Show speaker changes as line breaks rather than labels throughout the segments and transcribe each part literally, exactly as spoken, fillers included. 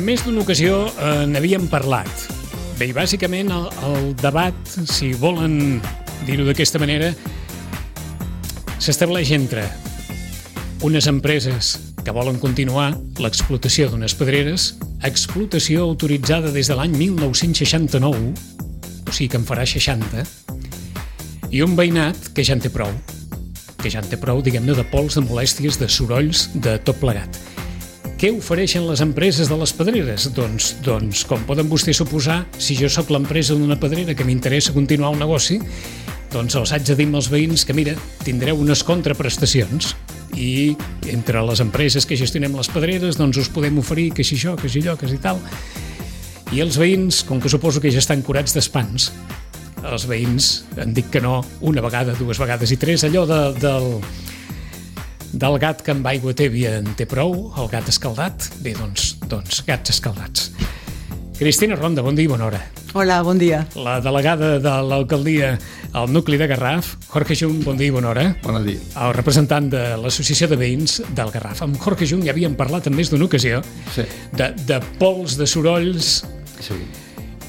més d'una ocasió eh, n'havíem parlat. Bé, i bàsicament el, el debat, si volen dir-ho d'aquesta manera, s'estableix entre unes empreses que volen continuar l'explotació d'unes pedreres, explotació autoritzada des de l'any mil nou-cents seixanta-nou, o sigui que en farà seixanta, i un veïnat que ja en té prou, que ja en té prou, diguem-ne, de pols, de molèsties, de sorolls, de tot plegat. Què ofereixen les empreses de les pedreres? Doncs, doncs com poden vostès suposar, si jo sóc l'empresa d'una pedrera que m'interessa continuar el negoci, doncs els haig de dir als veïns que, mira, tindreu unes contraprestacions i entre les empreses que gestionem les pedreres doncs us podem oferir que si això, que si allò, que si tal. I els veïns, com que suposo que ja estan curats d'espants, els veïns han dit que no una vegada, dues vegades i tres, allò de, del... del gat que amb aigua tèbia en té prou, el gat escaldat. Bé, doncs, doncs gats escaldats. Cristina Ronda, bon dia i bona hora.
Hola, bon dia.
La delegada de l'alcaldia al nucli de Garraf, Jorge Jung, bon dia i bona hora.
Bon dia.
El representant de l'Associació de Veïns del Garraf. Amb Jorge Jung ja havíem parlat en més d'una ocasió
sí.
de, de pols, de sorolls...
Sí.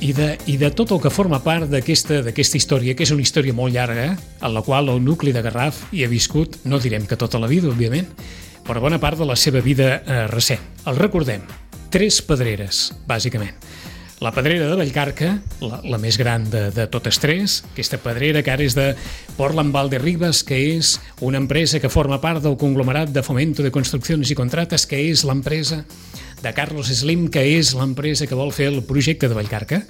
I de, i de tot el que forma part d'aquesta d'aquesta història, que és una història molt llarga, en la qual el nucli de Garraf hi ha viscut, no direm que tota la vida, òbviament, però bona part de la seva vida eh, recent. El recordem, tres pedreres, bàsicament. La pedrera de Vallcarca, la, la més gran de, de totes tres, aquesta pedrera que ara és de Portland Valderribas, que és una empresa que forma part del conglomerat de Fomento de Construcciones i Contrates, que és l'empresa de Carlos Slim, que és l'empresa que vol fer el projecte de Vallcarca.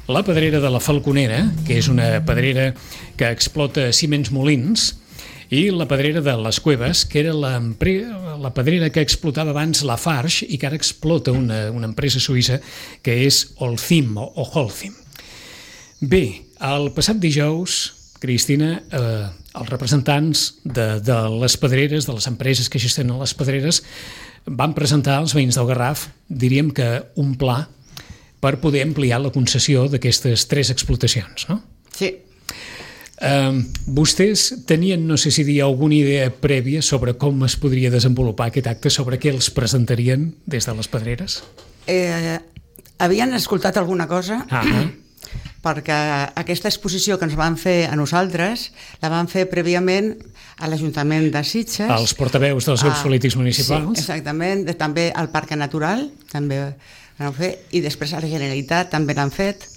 La pedrera de la Falconera, que és una pedrera que explota ciments molins, i la pedrera de les Cueves, que era la, la pedrera que explotava abans la Farge i que ara explota una, una empresa suïssa que és Holcim o, o Holcim. Bé, el passat dijous, Cristina, eh, els representants de, de les pedreres, de les empreses que gestionen les pedreres, van presentar als veïns del Garraf, diríem que un pla per poder ampliar la concessió d'aquestes tres explotacions, no?
Sí.
Uh, vostès tenien, no sé si dir, alguna idea prèvia sobre com es podria desenvolupar aquest acte, sobre què els presentarien des de les pedreres?
Eh, havien escoltat alguna cosa?
Ah, ah.
Perquè aquesta exposició que ens van fer a nosaltres la van fer prèviament a l'Ajuntament de Sitges.
Els portaveus dels grups
a,
polítics municipals.
Sí, exactament. De, també al Parc Natural també l'han fet, i després a la Generalitat també l'han fet.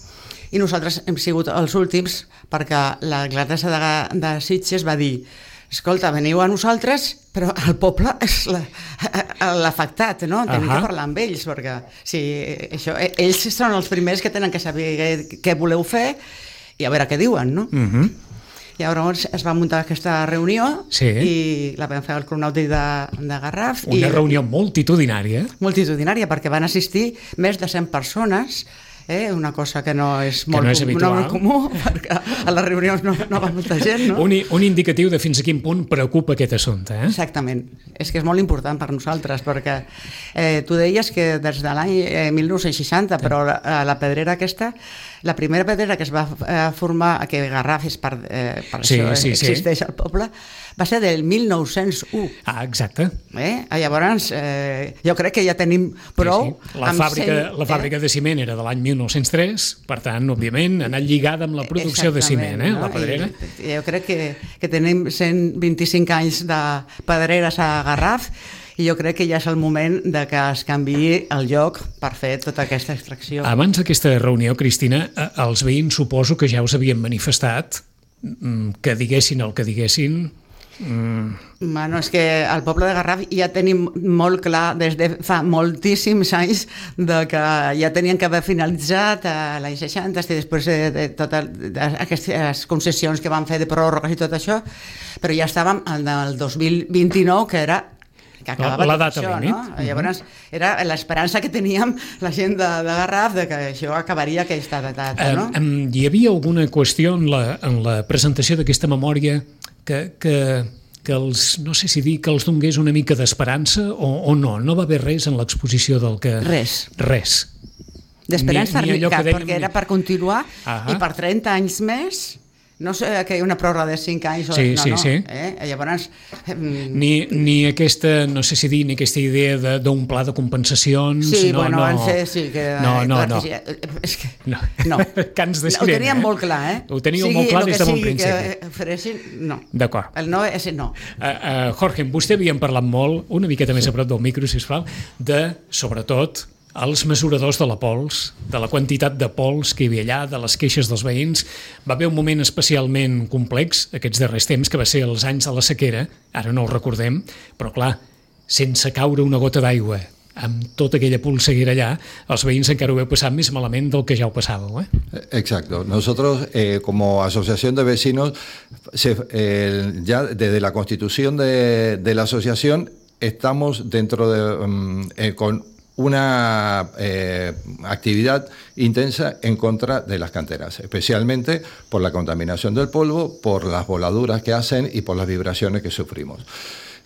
I nosaltres hem sigut els últims perquè l'alcaldessa de, de Sitges va dir: escolta, veniu a nosaltres, però el poble és l'afectat, no? Tenim que parlar amb ells, perquè si això, ells són els primers que tenen que saber què voleu fer i a veure què diuen, no?
Uh-huh.
Llavors es va muntar aquesta reunió, sí, i la vam fer al Cronàutic de, de Garraf.
Una
i,
reunió multitudinària.
Multitudinària, perquè van assistir més de cent persones, Eh, una cosa que no és molt,
no és
com, no molt comú, perquè a les reunions no, no va molta gent, no?
Un, un indicatiu de fins a quin punt preocupa aquest assumpte, eh?
Exactament. És que és molt important per nosaltres, perquè eh, tu deies que des de l'any eh, mil nou-cents seixanta, però la, la pedrera aquesta, la primera pedrera que es va eh, formar, que Garraf és per, eh, per
sí,
això
sí,
existeix
sí.
al poble, va ser del mil nou-cents u.
Ah, exacte.
Eh? Llavors, eh, jo crec que ja tenim prou...
Sí, sí. La, fàbrica, cent, la fàbrica eh? de ciment era de l'any mil nou-cents tres, per tant, òbviament, ha anat lligada amb la producció de ciment, eh, no? La pedrera.
I, jo crec que, que tenim cent vint-i-cinc anys de pedreres a Garraf, i jo crec que ja és el moment de que es canviï el lloc per fer tota aquesta extracció.
Abans d'aquesta reunió, Cristina, els veïns suposo que ja us havien manifestat que diguessin el que diguessin.
Mm. Bueno, és que al poble de Garraf ja tenim molt clar des de fa moltíssims anys de que ja tenien que haver finalitzat a l'any seixanta i després de, de totes aquestes concessions que van fer de pròrrogues i tot això, però ja estàvem al dos mil vint-i-nou, que era que acabava
la data
això,
límit.
No? Llavors era l'esperança que teníem la gent de, de Garraf de que això acabaria aquesta data, no?
Um, um, hi havia alguna qüestió en la, en la presentació d'aquesta memòria que, que, que els, no sé si dir que els donés una mica d'esperança o, o no? No va haver res en l'exposició del que...
Res.
Res.
D'esperança,
ni, ni
cap,
dèiem...
perquè era per continuar. Ahà. I per trenta anys més No sé que hi ha una pròrroga de cinc anys,
sí,
no,
sí,
no.
Sí.
Eh? Llavors... Eh,
ni, ni aquesta, no sé si dir, ni aquesta idea d'un pla de compensacions...
Sí,
no,
bueno,
no.
van fer... Sí, que,
no, no,
clar,
no.
Que sí, és que,
no.
no.
Cants de
Ho
sirena,
teníem
eh?
molt clar, eh?
Ho teníeu
sigui,
molt clar des de bon
sigui
principi.
Que ofereixin, no.
D'acord.
El no és no.
Uh, uh, Jorge, amb vostè havíem parlat molt, una miqueta més a prop del micro, sisplau, de, sobretot, els mesuradors de la pols, de la quantitat de pols que hi havia allà, de les queixes dels veïns. Va haver un moment especialment complex, aquests darrers temps, que va ser els anys de la sequera, ara no ho recordem, però clar, sense caure una gota d'aigua, amb tota aquella polseguera allà, els veïns encara ho heu passat més malament del que ja ho passàveu, eh?
Exacto. Nosotros, eh, como asociación de vecinos, se, eh, ya desde la constitución de, de la asociación, estamos dentro de... Um, eh, con una eh, actividad intensa en contra de las canteras, especialmente por la contaminación del polvo, por las voladuras que hacen y por las vibraciones que sufrimos.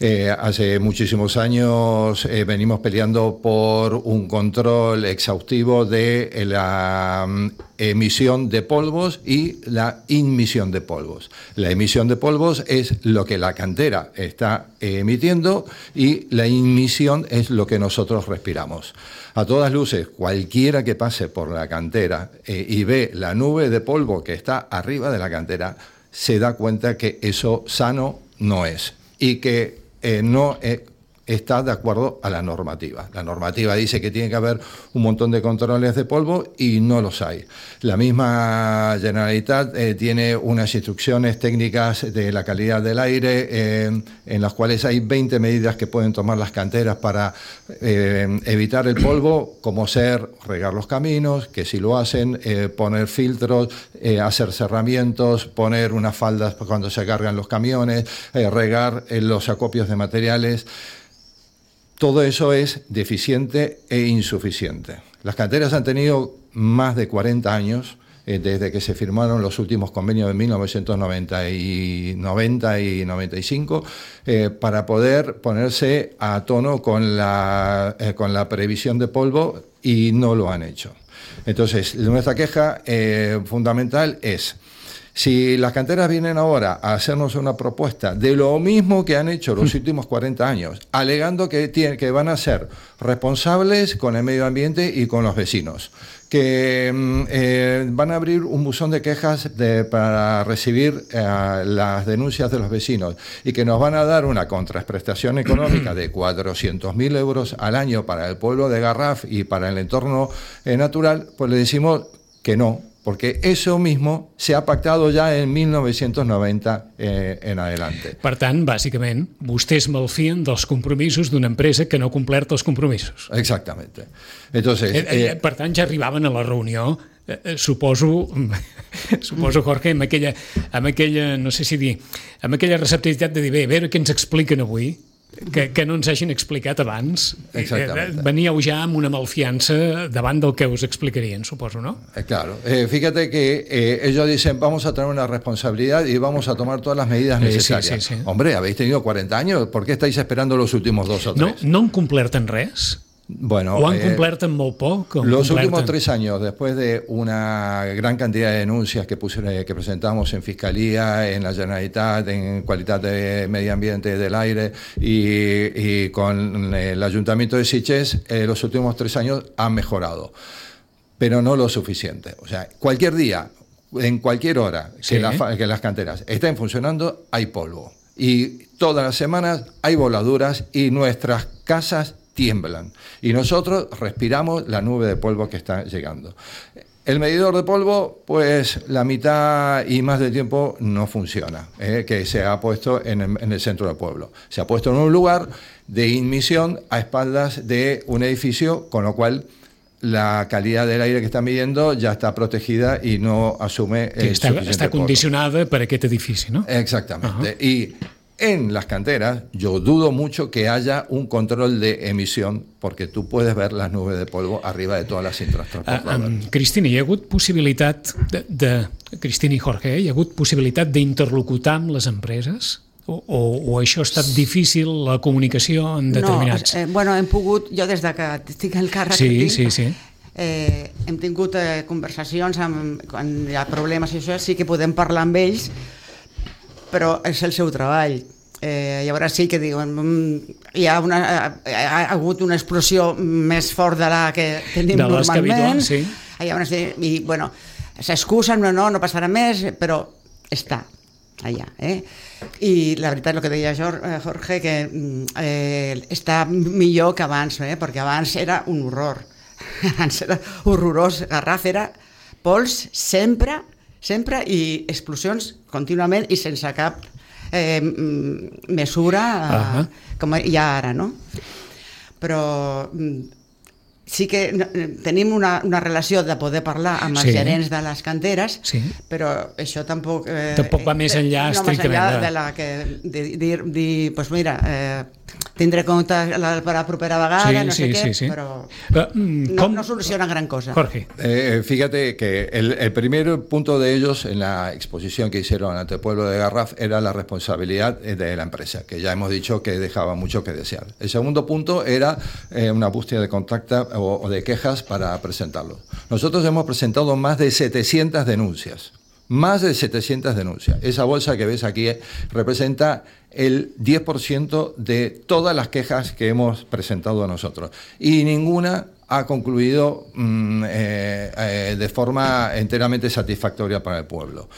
Eh, hace muchísimos años eh, venimos peleando por un control exhaustivo de eh, la um, emisión de polvos y la inmisión de polvos. La emisión de polvos es lo que la cantera está eh, emitiendo y la inmisión es lo que nosotros respiramos. A todas luces, cualquiera que pase por la cantera eh, y ve la nube de polvo que está arriba de la cantera, se da cuenta que eso sano no es y que Eh, no eh, está de acuerdo a la normativa. La normativa dice que tiene que haber un montón de controles de polvo y no los hay. La misma Generalitat eh, tiene unas instrucciones técnicas de la calidad del aire eh, en las cuales hay veinte medidas que pueden tomar las canteras para eh, evitar el polvo, como ser regar los caminos, que si lo hacen, eh, poner filtros, eh, hacer cerramientos, poner unas faldas cuando se cargan los camiones, eh, regar eh, los acopios de materiales. Todo eso es deficiente e insuficiente. Las canteras han tenido más de cuarenta años, eh, desde que se firmaron los últimos convenios de mil novecientos noventa y, noventa y noventa y cinco, eh, para poder ponerse a tono con la, eh, con la previsión de polvo, y no lo han hecho. Entonces, nuestra queja eh, fundamental es: si las canteras vienen ahora a hacernos una propuesta de lo mismo que han hecho los últimos cuarenta años, alegando que, tienen, que van a ser responsables con el medio ambiente y con los vecinos, que eh, van a abrir un buzón de quejas de, para recibir eh, las denuncias de los vecinos, y que nos van a dar una contraprestación económica de cuatrocientos mil euros al año para el pueblo de Garraf y para el entorno eh, natural, pues le decimos que no, porque eso mismo se ha pactado ya en mil novecientos noventa eh, en adelante.
Per tant, bàsicament, vostès malfien dels compromisos d'una empresa que no ha complert els compromisos.
Exactamente. Entonces,
eh, eh,
eh,
per tant, ja arribaven a la reunió, eh, suposo, suposo, Jorge, amb aquella, amb aquella, no sé si dir, amb aquella receptivitat de dir, bé, a veure què ens expliquen avui, que, que no ens hagin explicat abans.
Exactamente.
Eh, veníeu ja amb una malfiança davant del que us explicarien, suposo, ¿no?
Eh, claro. Eh, fíjate que eh, ellos dicen, vamos a tener una responsabilidad y vamos a tomar todas las medidas necesarias. Sí, sí, sí. Hombre, habéis tenido cuarenta años, ¿por qué estáis esperando los últimos dos o tres?
No, no han complert en res?
Bueno,
¿O han
eh,
complert en molt poc?
Los últimos tres años, después de una gran cantidad de denuncias que, puse, que presentamos en Fiscalía, en la Generalitat, en Calidad de Medio Ambiente del Aire y, y con el Ayuntamiento de Sitges, eh, los últimos tres años han mejorado, pero no lo suficiente. O sea, cualquier día, en cualquier hora que, sí. la, que las canteras estén funcionando, hay polvo. Y todas las semanas hay voladuras y nuestras casas tiemblan, y nosotros respiramos la nube de polvo que está llegando. El medidor de polvo, pues la mitad y más del tiempo no funciona, eh, que se ha puesto en el, en el centro del pueblo. Se ha puesto en un lugar de inmisión a espaldas de un edificio, con lo cual la calidad del aire que está midiendo ya está protegida y no asume el
está,
suficiente
está condicionada per aquest edifici, ¿no?
Exactamente. Uh-huh. Y en las canteras, yo dudo mucho que haya un control de emisión, porque tú puedes ver las nubes de polvo arriba de todas las cintas transportadoras.
Uh, um, Cristina, hi ha hagut possibilitat de, de... Cristina i Jorge, eh? Hi ha hagut possibilitat d'interlocutar amb les empreses? O, o, o això ha estat difícil, la comunicació en determinats...
No, eh, bueno, hem pogut, jo des de que estic al càrrec
sí,
que tinc,
sí, sí.
eh, hem tingut eh, conversacions amb, quan hi ha problemes i això, sí que podem parlar amb ells, però és el seu treball. Eh, llavors sí que diuen hi ha, una, ha hagut una explosió més fort de la que tenim
de
normalment,
sí.
Llavors, i bueno, s'excusen, no, no, no passarà més, però està allà, eh? I la veritat, el que deia Jorge, que eh, està millor que abans, eh? Perquè abans era un horror, abans era horrorós. Garraf era pols sempre, sempre, i explosions contínuament i sense cap eh, mesura eh, uh-huh. com hi ha ara, no? Però sí que tenim una, una relació de poder parlar amb els sí. gerents de les canteres, sí. però això tampoc... Eh,
tampoc va més enllà
no,
estrictament.
Més enllà de la que de dir, dir pues mira, eh, tindré compte la, per la propera vegada,
sí,
no sé
sí,
què,
sí, sí.
però
uh,
no, no soluciona gran cosa.
Jorge.
Eh, fíjate que el, el primer punto de ellos en la exposición que hicieron ante el pueblo de Garraf era la responsabilidad de la empresa, que ya hemos dicho que dejaba mucho que desear. El segundo punto era eh, una búsqueda de contacto o, o de quejas para presentarlo. Nosotros hemos presentado más de setecientas denuncias. Más de setecientas denuncias. Esa bolsa que ves aquí representa el diez por ciento de todas las quejas que hemos presentado nosotros. Y ninguna ha concluido mmm, eh, eh, de forma enteramente satisfactoria para el pueblo.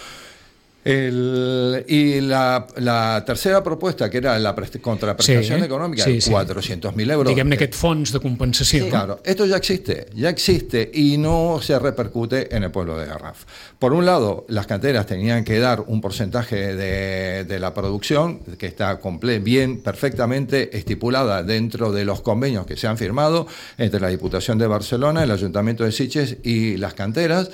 El, y la, la tercera propuesta, que era la contraprestación sí, económica, sí, sí. cuatrocientos mil euros.
Diguem-ne aquest fons de compensació.
Sí, claro, esto ya existe, ya existe y no se repercute en el pueblo de Garraf. Por un lado, las canteras tenían que dar un porcentaje de, de la producción que está comple- bien, perfectamente estipulada dentro de los convenios que se han firmado entre la Diputación de Barcelona, el Ayuntamiento de Sitges y las canteras.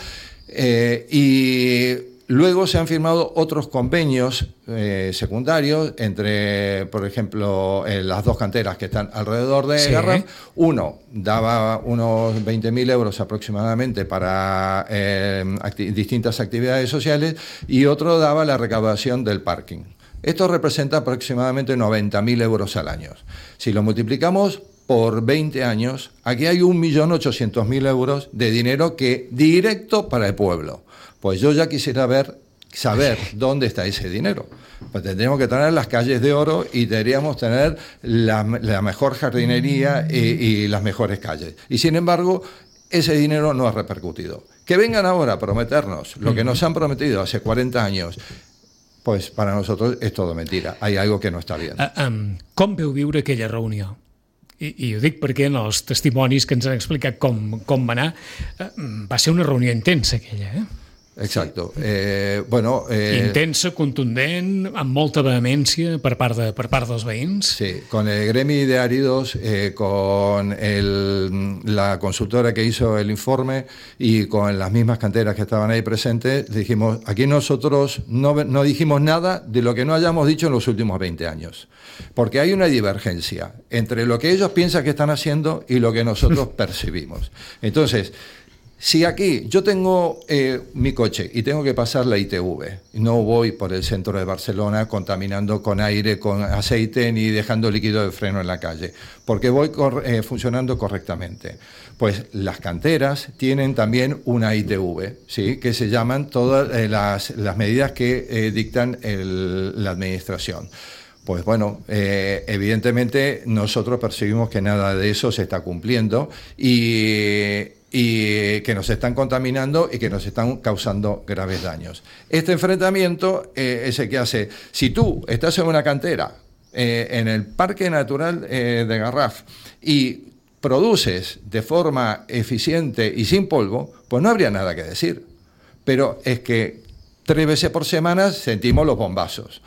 Eh, y Luego se han firmado otros convenios eh, secundarios entre, por ejemplo, eh, las dos canteras que están alrededor de sí. Garraf. Uno daba unos veinte mil euros aproximadamente para eh, acti- distintas actividades sociales y otro daba la recaudación del parking. Esto representa aproximadamente noventa mil euros al año. Si lo multiplicamos por veinte años, aquí hay un millón ochocientos mil euros de dinero que directo para el pueblo. Pues yo ya quisiera ver, saber dónde está ese dinero. Pues tendríamos que tener las calles de oro y deberíamos tener la, la mejor jardinería y, y las mejores calles. Y sin embargo, ese dinero no ha repercutido. Que vengan ahora a prometernos lo que nos han prometido hace cuarenta años, pues para nosotros es todo mentira. Hay algo que no está bien.
Uh, um, com veu viure aquella reunió? I, i ho dic perquè en els testimonis que ens han explicat com, com va anar, uh, va ser una reunió intensa aquella, eh?
Exacto. Eh, bueno, eh,
intensa, contundent, amb molta vehemència per part, de, per part dels veïns.
Sí, con el gremi de áridos, eh, con el, la consultora que hizo el informe y con las mismas canteras que estaban ahí presentes, dijimos, aquí nosotros no, no dijimos nada de lo que no hayamos dicho en los últimos veinte años. Porque hay una divergencia entre lo que ellos piensan que están haciendo y lo que nosotros percibimos. Entonces, si aquí yo tengo eh, mi coche y tengo que pasar la I T V, no voy por el centro de Barcelona contaminando con aire, con aceite, ni dejando líquido de freno en la calle, porque voy cor- eh, funcionando correctamente. Pues las canteras tienen también una I T V, ¿sí? Que se llaman todas eh, las, las medidas que eh, dictan el, la administración. Pues bueno, eh, evidentemente nosotros percibimos que nada de eso se está cumpliendo y... y que nos están contaminando y que nos están causando graves daños. Este enfrentamiento eh, es el que hace, si tú estás en una cantera, eh, en el Parque Natural eh, de Garraf, y produces de forma eficiente y sin polvo, pues no habría nada que decir. Pero es que tres veces por semana sentimos los bombazos.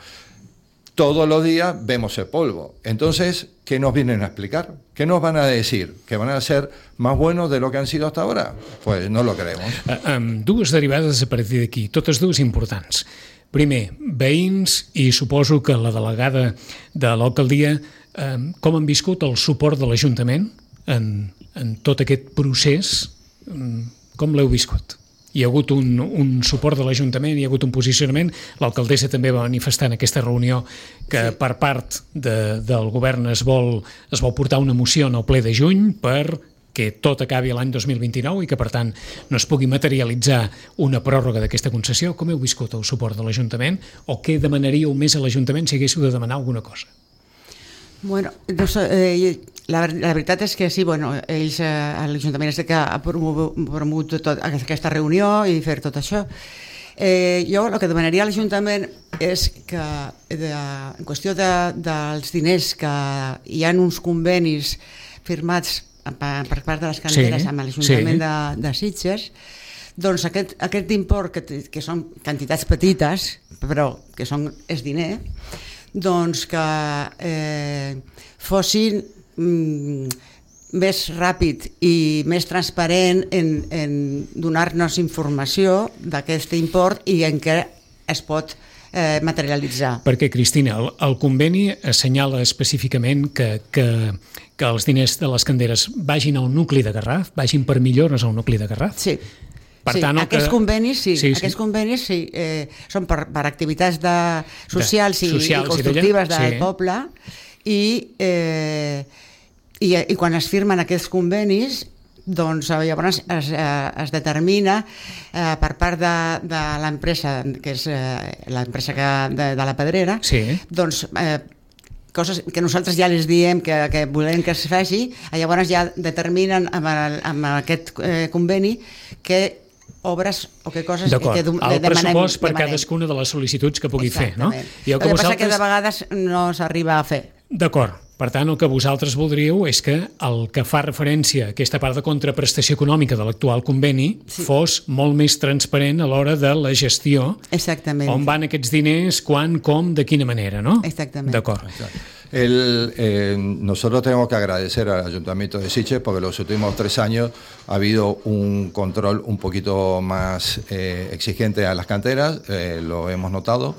Todos los días vemos el polvo. Entonces, ¿qué nos vienen a explicar? ¿Qué nos van a decir? ¿Que van a ser más buenos de lo que han sido hasta ahora? Pues no lo creemos.
Uh, um, dues derivades a partir d'aquí, totes dues importants. Primer, veïns, i suposo que la delegada de l'alcaldia, um, com han viscut el suport de l'Ajuntament en, en tot aquest procés? Um, com l'heu viscut? Hi ha hagut un, un suport de l'Ajuntament, hi ha hagut un posicionament. L'alcaldessa també va manifestar en aquesta reunió que sí. per part de, del govern es vol, es vol portar una moció en el ple de juny per que tot acabi l'any dos mil vint-i-nou i que, per tant, no es pugui materialitzar una pròrroga d'aquesta concessió. Com heu viscut el suport de l'Ajuntament o què demanaríeu més a l'Ajuntament si haguéssiu de demanar alguna cosa?
Bueno, no sé, eh, la, la veritat és que sí, bueno, ells, eh, l'Ajuntament és que ha promogut, promogut tot, aquesta reunió i fer tot això. Eh, jo el que demanaria a l'Ajuntament és que de, en qüestió de, dels diners, que hi ha uns convenis firmats per part de les canteres sí, amb l'Ajuntament sí. de, de Sitges, doncs aquest, aquest import, que, que són quantitats petites, però que són, és diner, doncs que eh, fossin mm, més ràpid i més transparent en, en donar-nos informació d'aquest import i en què es pot eh, materialitzar.
Perquè, Cristina, el, el conveni assenyala específicament que, que, que els diners de les canderes vagin al nucli de Garraf, vagin per millores al nucli de Garraf?
Sí.
Per
sí,
tant,
aquests
que...
convenis, sí,
sí, sí.
aquests convenis sí, eh, són per, per activitats de, socials,
de,
i,
socials
i constructives
i
del
sí.
poble i, eh, i, i quan es firmen aquests convenis doncs llavors es, es determina eh, per part de, de l'empresa, que és eh, l'empresa que, de, de la Pedrera,
sí.
doncs eh, coses que nosaltres ja les diem que, que volem que es faci, llavors ja determinen amb, el, amb aquest eh, conveni que obres o que coses que
demanem. El pressupost per demanem. Cadascuna de les sol·licituds que pugui fer, no?
I el que, que vosaltres... passa que de vegades no s'arriba a fer.
D'acord. Per tant, el que vosaltres voldríeu és que el que fa referència a aquesta part de contraprestació econòmica de l'actual conveni sí. fos molt més transparent a l'hora de la gestió.
Exactament.
On van aquests diners, quan, com, de quina manera, ¿no?
Exactament.
D'acord.
El, eh, nosotros tenemos que agradecer al Ayuntamiento de Sitges porque los últimos tres años ha habido un control un poquito más eh, exigente a las canteras, eh, lo hemos notado.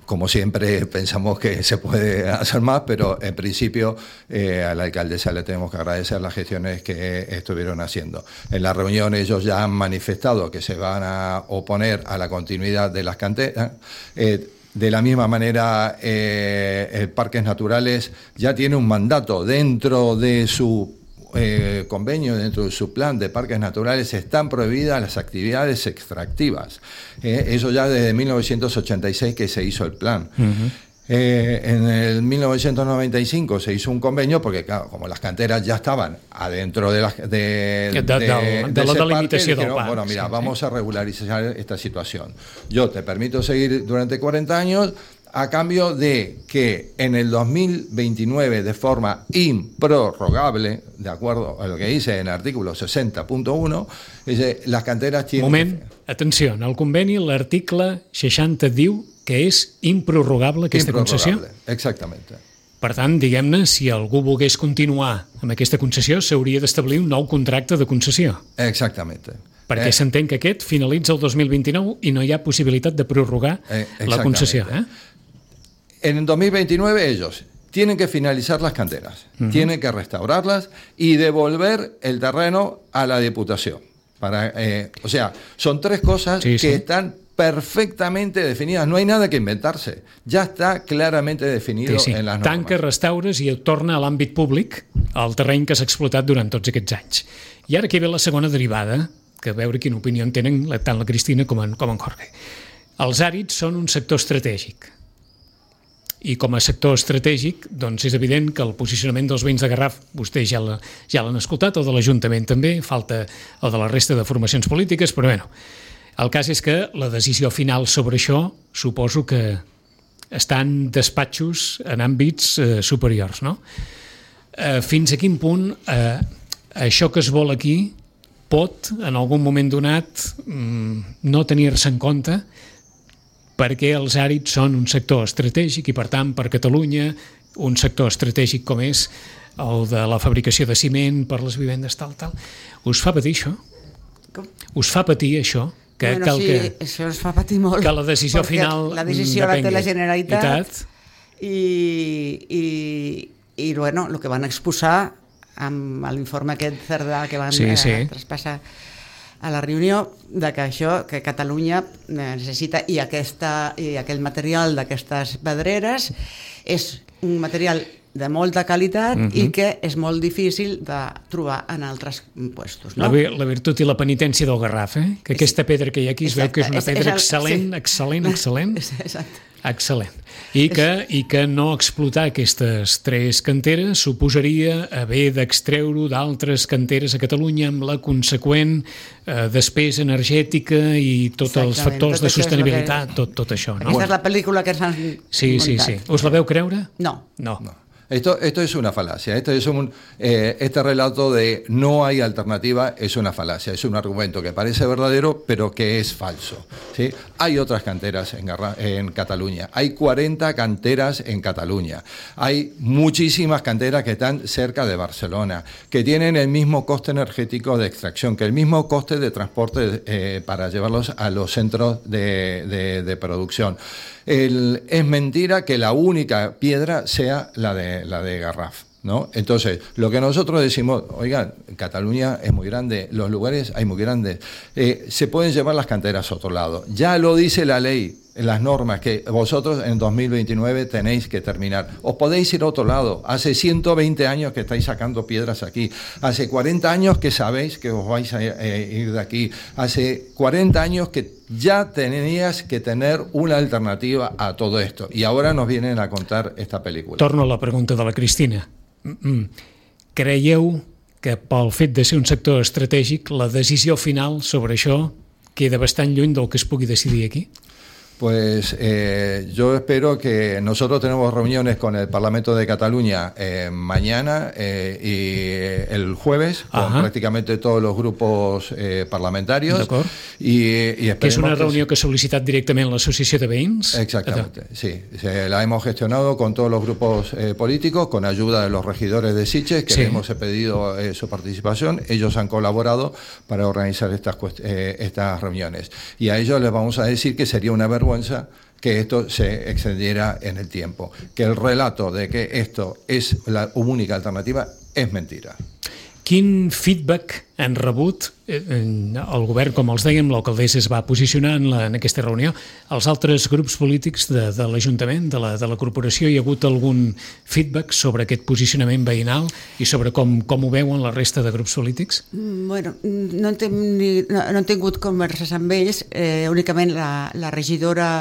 Como siempre pensamos que se puede hacer más, pero en principio eh, a la alcaldesa le tenemos que agradecer las gestiones que estuvieron haciendo. En la reunión ellos ya han manifestado que se van a oponer a la continuidad de las canteras. Eh, de la misma manera, eh, el Parques Naturales ya tiene un mandato dentro de su Eh, convenio, dentro de su plan de parques naturales, están prohibidas las actividades extractivas. Eh, eso ya desde mil novecientos ochenta y seis que se hizo el plan. Uh-huh. Eh, en el mil novecientos noventa y cinco se hizo un convenio porque, claro, como las canteras ya estaban adentro de, la, de, de, de, de, de, de la delimitació del parc. Bueno, mira, sí, vamos sí. a regularizar esta situación. Yo te permito seguir durante cuarenta años a cambio de que en el dos mil veintinueve, de forma improrrogable, de acuerdo a lo que dice en el artículo seixanta punt un, dice, las canteras tienen...
Moment, atenció, en el conveni l'article seixanta diu que és improrrogable aquesta concessió?
Exactament.
Per tant, diguem-ne, si algú volgués continuar amb aquesta concessió, s'hauria d'establir un nou contracte de concessió.
Exactament.
Perquè eh. s'entén que aquest finalitza el dos mil vint-i-nou i no hi ha possibilitat de prorrogar eh, la concessió. Eh?
En el dos mil veintinueve ellos tienen que finalizar las canteras, uh-huh. tienen que restaurarlas y devolver el terreno a la Diputación. Para, eh, o sea, son tres cosas sí, que sí. están perfectamente definidas, no hay nada que inventarse, ja està clarament definido sí, sí. en les normes.
Tanca, restaures i torna a l'àmbit públic el terreny que s'ha explotat durant tots aquests anys. I ara aquí ve la segona derivada, que a veure quina opinió en tenen tant la Cristina com en, com en Jorge. Els àrids són un sector estratègic. I com a sector estratègic, doncs és evident que el posicionament dels veïns de Garraf, vostès ja l'han ja escoltat, el de l'Ajuntament també, falta el de la resta de formacions polítiques, però bueno, el cas és que la decisió final sobre això suposo que està en despatxos en àmbits eh, superiors, no? Eh, fins a quin punt eh, això que es vol aquí pot, en algun moment donat, mm, no tenir-se en compte perquè els àrids són un sector estratègic i, per tant, per Catalunya, un sector estratègic com és el de la fabricació de ciment per les vivendes, tal, tal. Us fa patir això? Com? Us fa patir això? Que,
bueno,
que el
sí,
que,
això ens fa patir molt.
Que la decisió final
la decisió la té la Generalitat i, i, i bueno, el que van exposar amb l'informe aquest Cerdà que van sí, sí. Eh, traspassar a la reunió, de que això, que Catalunya necessita, i, aquesta, i aquell material d'aquestes pedreres és un material de molta qualitat
uh-huh.
i que és molt difícil de trobar en altres puestos. No?
La, la virtut i la penitència del Garraf, eh? Que aquesta pedra que hi ha aquí es veu que és una pedra excel·lent, excel·lent, excel·lent.
Exacte.
Excel·lent. I que, I que no explotar aquestes tres canteres suposaria haver d'extreure d'altres canteres a Catalunya amb la conseqüent eh, despesa energètica i tots els factors tot de sostenibilitat, que... tot, tot això. ¿no?
Aquesta és la pel·lícula que s'han
sí, sí, sí. Us la veu creure?
No.
No.
no. Esto, esto es una falacia, esto es un, eh, este relato de no hay alternativa es una falacia, es un argumento que parece verdadero pero que es falso, ¿sí? Hay otras canteras en, en Cataluña, hay cuarenta canteras en Cataluña, hay muchísimas canteras que están cerca de Barcelona, que tienen el mismo coste energético de extracción, que el mismo coste de transporte eh, para llevarlos a los centros de, de, de producción. El, es mentira que la única piedra sea la de, la de Garraf, ¿no? Entonces, lo que nosotros decimos, oigan, Cataluña es muy grande, los lugares hay muy grandes, eh, se pueden llevar las canteras a otro lado. Ya lo dice la ley, las normas, que vosotros en dos mil veintinueve tenéis que terminar. Os podéis ir a otro lado. Hace ciento veinte años que estáis sacando piedras aquí. Hace cuarenta años que sabéis que os vais a eh, ir de aquí. Hace cuarenta años que ya tenías que tener una alternativa a todo esto. Y ahora nos vienen a contar esta película.
Torno a la pregunta de la Cristina. Mm-mm. Creieu que pel fet de ser un sector estratègic la decisió final sobre això queda bastant lluny del que es pugui decidir aquí?
Pues eh, yo espero que nosotros tenemos reuniones con el Parlamento de Cataluña eh, mañana eh, y el jueves con Ajá. prácticamente todos los grupos eh, parlamentarios. Y, y
que és una reunió que, que ha sol·licitat directament l'Associació de Veïns?
Exactamente, sí. Se la hemos gestionado con todos los grupos eh, políticos, con ayuda de los regidores de Sitges, que sí. hemos pedido eh, su participación. Ellos han colaborado para organizar estas, eh, estas reuniones. Y a ellos les vamos a decir que sería una vergüenza que esto se extendiera en el tiempo, que el relato de que esto es la única alternativa és mentira.
Quin feedback han rebut el govern, com els dèiem, l'alcaldessa es va posicionar en, la, en aquesta reunió, els altres grups polítics de, de l'Ajuntament, de la, de la corporació? Hi ha hagut algun feedback sobre aquest posicionament veïnal i sobre com, com ho veuen la resta de grups polítics?
Bueno, no hem, ni, no, no hem tingut converses amb ells, eh, únicament la, la regidora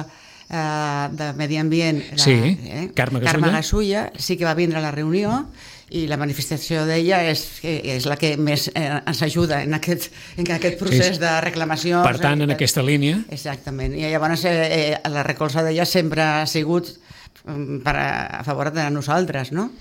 eh, de Medi Ambient, la,
sí,
eh,
Carme Gasulla.
Carme Gasulla, sí que va vindre a la reunió, i la manifestació d'ella és, és la que més eh, ens ajuda en aquest, en aquest procés sí, de reclamació.
Per tant, en aquesta línia...
Exactament. I llavors eh, la recolza d'ella sempre ha sigut per a, a favor de nosaltres, no?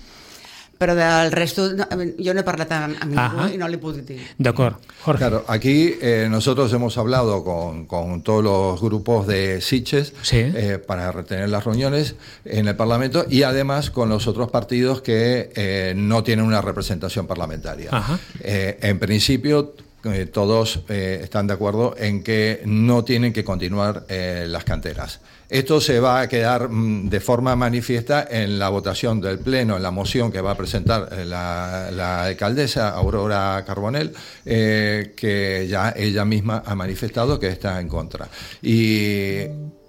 Pero del resto, no, yo no he parlat amb, amb ningú y no le puedo decir.
De acuerdo. Jorge.
Claro, aquí eh, nosotros hemos hablado con, con todos los grupos de Sitges
sí.
eh, para retener las reuniones en el Parlamento y además con los otros partidos que eh, no tienen una representación parlamentaria. Eh, en principio, eh, todos eh, están de acuerdo en que no tienen que continuar eh, las canteras. Esto se va a quedar de forma manifiesta en la votación del Pleno, en la moción que va a presentar la, la alcaldesa Aurora Carbonell, eh, que ya ella misma ha manifestado que está en contra. ¿Y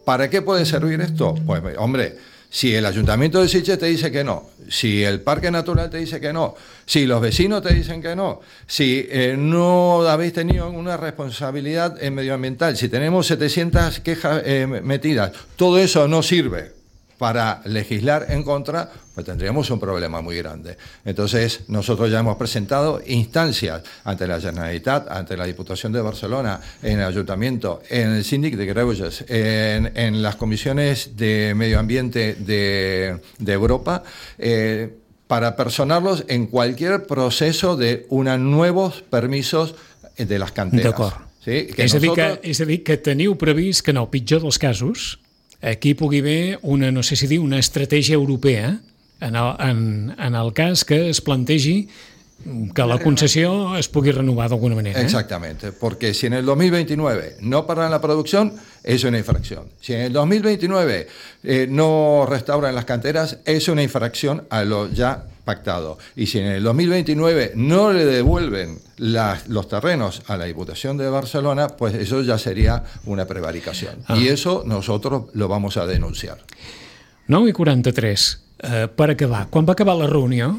para qué puede servir esto? Pues, hombre, si el Ayuntamiento de Sitges te dice que no, si el Parque Natural te dice que no, si los vecinos te dicen que no, si eh, no habéis tenido una responsabilidad eh, medioambiental, si tenemos setecientas quejas eh, metidas, todo eso no sirve para legislar en contra, pues tendríamos un problema muy grande. Entonces, nosotros ya hemos presentado instancias ante la Generalitat, ante la Diputación de Barcelona, en el Ayuntamiento, en el Síndic de Greuges, en, en las comisiones de medio ambiente de, de Europa, eh, para personarlos en cualquier proceso de unos nuevos permisos de las canteras.
D'acord.
Sí, que
és,
nosotros...
a dir que, és a dir que teniu previst que en el pitjor dels casos aquí pugui haver una, no sé si dir, una estratègia europea en el, en, en el cas que es plantegi que la concesión es pugui renovar de alguna manera. ¿eh?
Exactamente, porque si en el dos mil veintinueve no paran la producción, es una infracción. Si en el dos mil veintinueve eh, no restauran las canteras, es una infracción a lo ya pactado. Y si en el dos mil veintinueve no le devuelven las, los terrenos a la Diputación de Barcelona, pues eso ya sería una prevaricación. Ah. Y eso nosotros lo vamos a denunciar.
nou i quaranta-tres. Uh, per acabar, quan va acabar la reunió,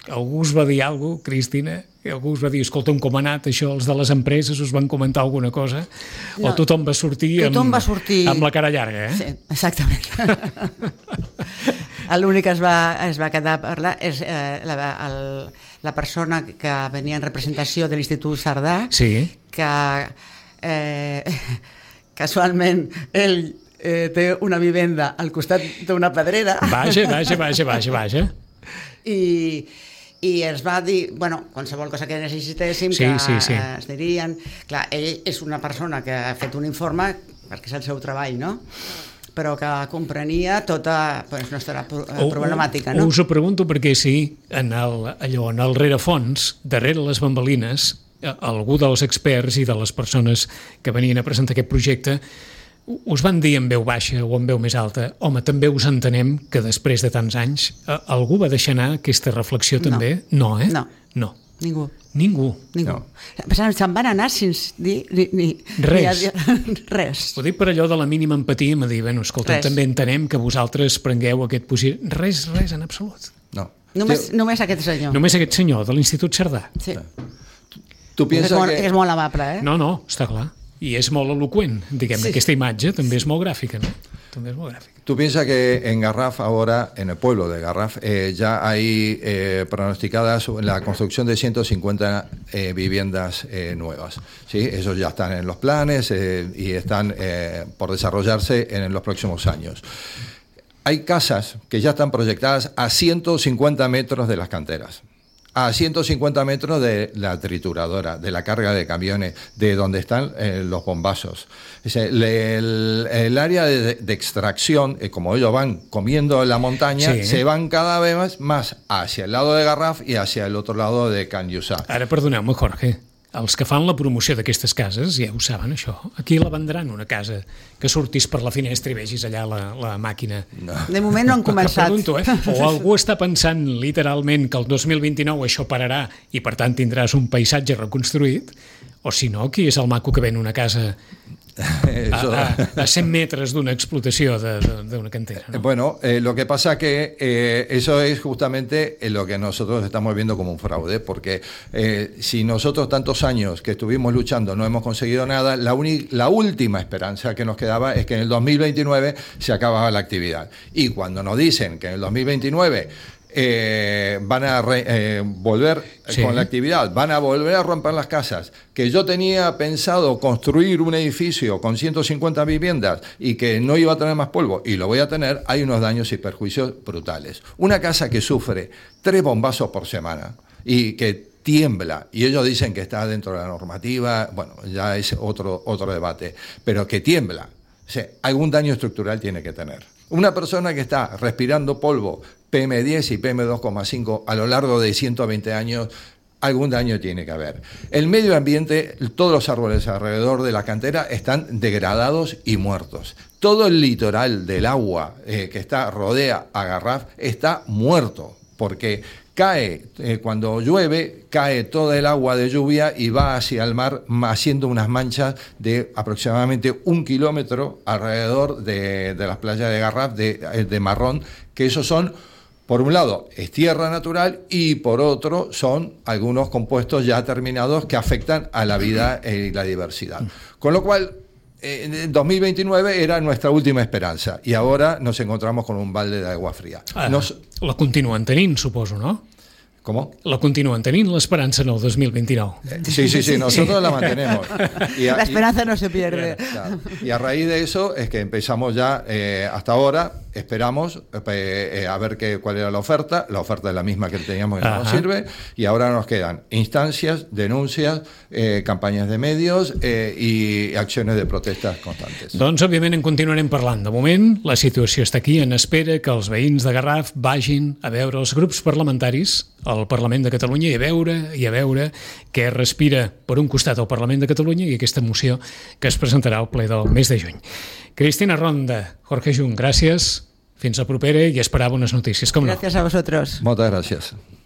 algú us va dir alguna cosa, Cristina? Algú us va dir, escolta'm, com ha anat això, els de les empreses us van comentar alguna cosa? No, o tothom va sortir,
tothom
amb,
va sortir
amb la cara llarga, eh?
Sí, exactament. L'únic que es va, es va quedar a parlar és eh, la, el, la persona que venia en representació de l'Institut Cerdà,
sí.
que eh, casualment ell eh, té una vivenda al costat d'una pedrera.
Vaja, vaja, vaja, vaja, vaja.
I, i ens va dir, bueno, qualsevol cosa que necessitéssim,
sí,
que
sí, sí.
es dirien. Clar, ell és una persona que ha fet un informe, perquè és el seu treball, no? Però que comprenia tota pues, nostra problemàtica, no?
Us ho pregunto perquè sí, en el, allò, en el rerefons, darrere les bambalines, algú dels experts i de les persones que venien a presentar aquest projecte us van dir en veu baixa o en veu més alta, home, també us entenem que després de tants anys algú va deixar anar aquesta reflexió també? No, no eh?
No.
No.
Ningú.
Ningú?
Ningú. No. Se'n van anar sense dir ni, ni,
res.
Ni res.
Ho dic per allò de la mínima empatia, me dir, bueno, escolta, res. També entenem que vosaltres prengueu aquest positiu. Res, res en absolut.
No.
Només, sí. només aquest senyor.
Només aquest senyor de l'Institut Cerdà.
Sí.
Tu penses
és, molt,
que...
és molt amable, eh?
No, no, està clar. I es molt elocuent, diguem, sí. Aquesta imatge també es molt gràfica, ¿no? También es muy gráfica.
Tú piensas que en Garraf ahora, en el pueblo de Garraf, eh, ya hay eh, pronosticadas la construcción de ciento cincuenta eh, viviendas eh, nuevas. ¿Sí? Esos ya están en los planes eh, y están eh, por desarrollarse en los próximos años. Hay casas que ya están proyectadas a ciento cincuenta metros de las canteras, a ciento cincuenta metros de la trituradora, de la carga de camiones, de donde están eh, los bombazos. Es el, el, el área de, de extracción, eh, como ellos van comiendo en la montaña, sí. se van cada vez más hacia el lado de Garraf y hacia el otro lado de Can Lluçà.
Ara, perdoneu-me, Jorge, els que fan la promoció d'aquestes cases ja ho saben, això. Aquí la vendran, una casa que sortís per la finestra i vegis allà la, la màquina.
No. De moment no han començat.
Pregunto, eh? O algú està pensant literalment que el dos mil vint-i-nou això pararà i per tant tindràs un paisatge reconstruït, o si no, qui és el maco que ven una casa a, a, a cent metres d'una explotació d'una cantera, ¿no?
Bueno, eh, lo que pasa que eh, eso es justamente lo que nosotros estamos viendo como un fraude, porque eh, si nosotros tantos años que estuvimos luchando no hemos conseguido nada, la, la última esperanza que nos quedaba es que en el dos mil veintinueve se acababa la actividad. Y cuando nos dicen que en el dos mil veintinueve Eh, van a re, eh, volver sí. con la actividad, van a volver a romper las casas, que yo tenía pensado construir un edificio con ciento cincuenta viviendas y que no iba a tener más polvo, y lo voy a tener, hay unos daños y perjuicios brutales. Una casa que sufre tres bombazos por semana y que tiembla, y ellos dicen que está dentro de la normativa, bueno, ya es otro, otro debate, pero que tiembla, o sea, algún daño estructural tiene que tener. Una persona que está respirando polvo P M diez y P M dos coma cinco a lo largo de ciento veinte años, algún daño tiene que haber. El medio ambiente, todos los árboles alrededor de la cantera están degradados y muertos. Todo el litoral del agua eh, que está rodea a Garraf está muerto, porque cae, eh, cuando llueve, cae toda el agua de lluvia y va hacia el mar haciendo unas manchas de aproximadamente un kilómetro alrededor de, de las playas de Garraf, de, de marrón, que esos son, por un lado, es tierra natural y por otro son algunos compuestos ya terminados que afectan a la vida y la diversidad. Con lo cual, en dos mil veintinueve era nuestra última esperanza y ahora nos encontramos con un balde de agua fría.
Ah,
nos...
La continuen tenint, suposo, no?
¿Cómo?
La continúan teniendo l'esperança en el dos mil veintinou.
Eh, sí, sí, sí, nosotros la mantenemos.
Y a, la esperanza y, no se pierde.
Claro, y a raíz de eso es que empezamos ya, eh, hasta ahora, esperamos eh, eh, a ver qué, cuál era la oferta. La oferta es la misma que teníamos que no nos sirve. Y ahora nos quedan instancias, denuncias, eh, campanyes de medios eh, i accions de protestes constantes.
Doncs, òbviament, en continuarem parlant. De moment, la situació està aquí, en espera que els veïns de Garraf vagin a veure els grups parlamentaris al Parlament de Catalunya i a veure i a veure què respira per un costat al Parlament de Catalunya i aquesta moció que es presentarà al ple del mes de juny. Cristina Ronda, Jorge Jung, gràcies. Fins la propera i esperar bones notícies. Com no?
Gràcies a vosaltres.
Moltes gràcies.